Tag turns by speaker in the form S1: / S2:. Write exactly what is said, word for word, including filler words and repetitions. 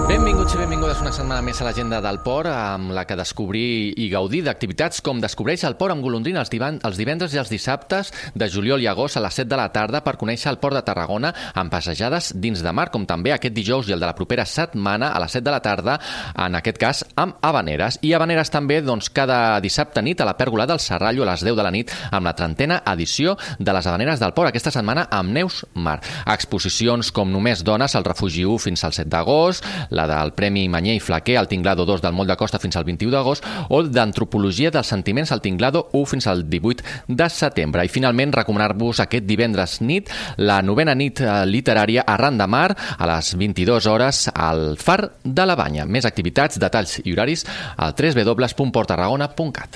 S1: Benvinguts i benvingudes una setmana més a l'agenda del port, amb la que descobrir i gaudir d'activitats com Descobreix el port amb golondrina els, divan, els divendres i els dissabtes de juliol i agost a les set de la tarda per conèixer el port de Tarragona amb passejades dins de mar, com també aquest dijous i el de la propera setmana a les set de la tarda, en aquest cas amb Havaneres. I Havaneres també doncs, cada dissabte nit a la pèrgola del Serrallo a les deu de la nit amb la trentena edició de les Havaneres del port, aquesta setmana amb Neus Mar. Exposicions com Només dones al Refugi u fins al set d'agost, la del Premi Manyer i Flaquer al Tinglado dos del Moll de Costa fins al vint-i-u d'agost o d'Antropologia dels Sentiments al Tinglado u fins al divuit de setembre. I finalment recomanar-vos aquest divendres nit la novena nit literària Arran de Mar a les vint-i-dues hores al Far de la Banya. Més activitats, detalls i horaris al w w w punt port tarragona punt cat.